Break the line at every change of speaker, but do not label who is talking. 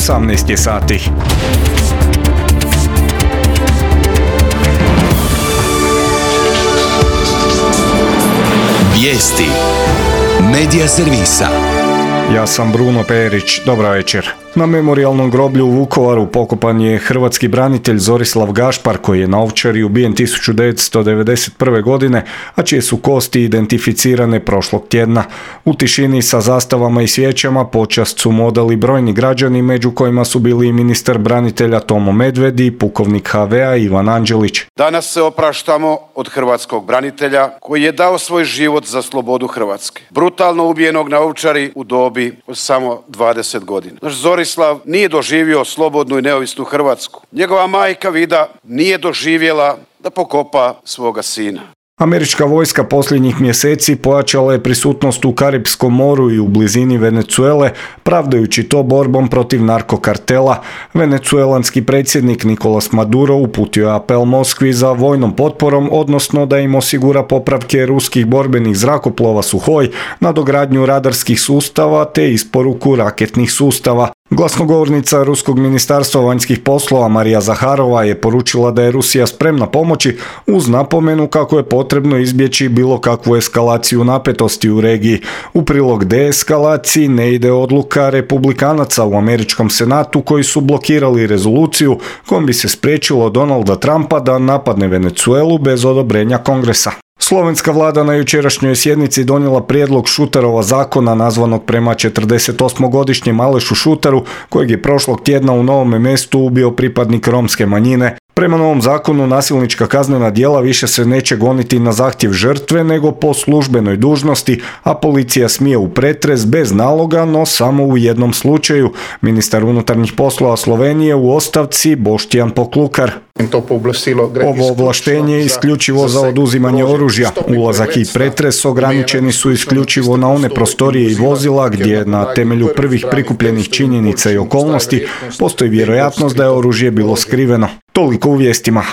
18 je sati.
Vijesti Medija servisa.
Ja sam Bruno Perić, dobra večer. Na memorijalnom groblju u Vukovaru pokopan je hrvatski branitelj Zorislav Gašpar koji je na Ovčari ubijen 1991. godine, a čije su kosti identificirane prošlog tjedna. U tišini sa zastavama i svijećama počast su mu odali brojni građani, među kojima su bili i ministar branitelja Tomo Medved i pukovnik HV-a Ivan Anđelić.
Danas se opraštamo od hrvatskog branitelja koji je dao svoj život za slobodu Hrvatske. Brutalno ubijenog na Ovčari u dobi od samo 20 godina. Naš Zorislav nije doživio slobodnu i neovisnu Hrvatsku. Njegova majka Vida nije doživjela da pokopa svoga sina.
Američka vojska posljednjih mjeseci pojačala je prisutnost u Karipskom moru i u blizini Venezuele, pravdajući to borbom protiv narkokartela. Venezuelanski predsjednik Nicolas Maduro uputio je apel Moskvi za vojnom potporom, odnosno da im osigura popravke ruskih borbenih zrakoplova Suhoj, nadogradnju radarskih sustava te isporuku raketnih sustava. Glasnogovornica Ruskog ministarstva vanjskih poslova Marija Zaharova je poručila da je Rusija spremna pomoći uz napomenu kako je potrebno izbjeći bilo kakvu eskalaciju napetosti u regiji. U prilog deeskalaciji ne ide odluka republikanaca u američkom senatu koji su blokirali rezoluciju kojom bi se spriječilo Donalda Trumpa da napadne Venezuelu bez odobrenja Kongresa. Slovenska vlada na jučerašnjoj sjednici donijela prijedlog Šutarova zakona nazvanog prema 48-godišnjem Alešu Šutaru, kojeg je prošlog tjedna u Novome Mestu ubio pripadnik romske manjine. Prema novom zakonu nasilnička kaznena djela više se neće goniti na zahtjev žrtve nego po službenoj dužnosti, a policija smije u pretres bez naloga, no samo u jednom slučaju. Ministar unutarnjih poslova Slovenije u ostavci Boštjan Poklukar. Ovo ovlaštenje je isključivo za oduzimanje oružja. Ulazak i pretres ograničeni su isključivo na one prostorije i vozila gdje na temelju prvih prikupljenih činjenica i okolnosti postoji vjerojatnost da je oružje bilo skriveno. Toliko u vijestima.